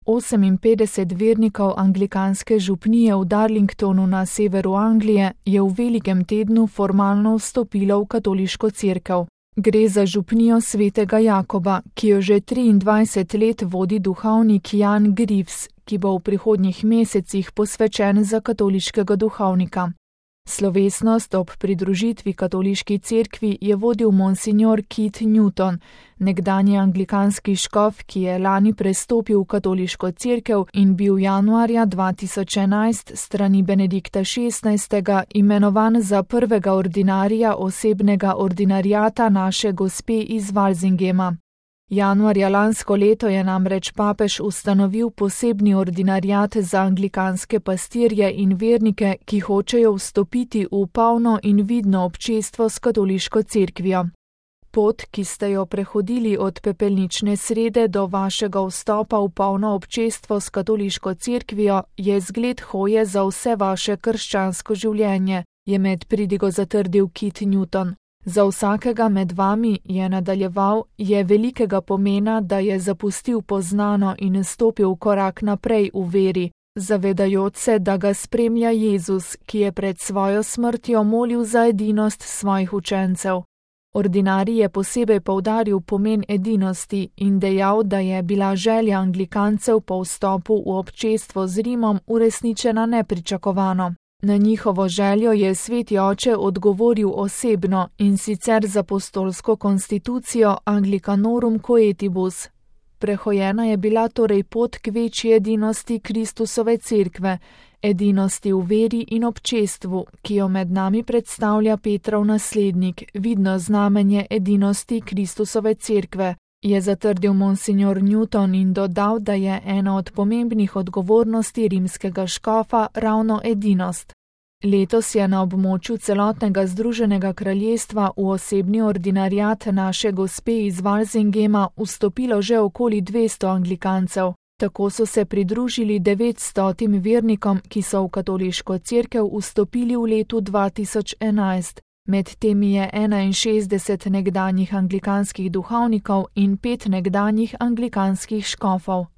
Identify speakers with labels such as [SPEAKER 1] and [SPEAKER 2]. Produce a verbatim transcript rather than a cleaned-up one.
[SPEAKER 1] Oseminpetdeset vernikov anglikanske župnije v Darlingtonu na severu Anglije je v velikem tednu formalno vstopilo v katoliško cerkev. Gre za župnijo svetega Jakoba, ki jo že triindvajset let vodi duhovnik Jan Greaves, ki bo v prihodnjih mesecih posvečen za katoliškega duhovnika. Slovesnost ob pridružitvi katoliški cerkvi je vodil monsignor Keith Newton, nekdanji anglikanski škof, ki je lani prestopil v katoliško cerkev in bil januarja dva tisoč enajst strani Benedikta šestnajstega imenovan za prvega ordinarija osebnega ordinariata Naše Gospe iz Walsingema. Januarja lansko leto je namreč papež ustanovil posebni ordinariat za anglikanske pastirje in vernike, ki hočejo vstopiti v polno in vidno občestvo s katoliško cerkvijo. Pot, ki ste jo prehodili od pepelnične srede do vašega vstopa v polno občestvo s katoliško cerkvijo, je zgled hoje za vse vaše krščansko življenje, je med pridigo zatrdil Keith Newton. Za vsakega med vami, je nadaljeval, je velikega pomena, da je zapustil poznano in stopil korak naprej v veri, zavedajoč se, da ga spremlja Jezus, ki je pred svojo smrtjo molil za edinost svojih učencev. Ordinarij je posebej poudaril pomen edinosti in dejal, da je bila želja anglikancev po vstopu v občestvo z Rimom uresničena nepričakovano. Na njihovo željo je sveti oče odgovoril osebno, in sicer z apostolsko konstitucijo Anglicanorum Coetibus. Prehojena je bila torej pot k večji edinosti Kristusove cerkve, edinosti v veri in občestvu, ki jo med nami predstavlja Petrov naslednik, vidno znamenje edinosti Kristusove cerkve, je zatrdil monsignor Newton in dodal, da je ena od pomembnih odgovornosti rimskega škofa ravno edinost. Letos je na območju celotnega Združenega kraljestva v osebni ordinariat Naše Gospe iz Walsingema vstopilo že okoli dvesto anglikancev. Tako so se pridružili devetstotim vernikom, ki so v katoliško cerkev vstopili v letu dva tisoč enajst. Med temi je enainšestdeset nekdanjih anglikanskih duhovnikov in pet nekdanjih anglikanskih škofov.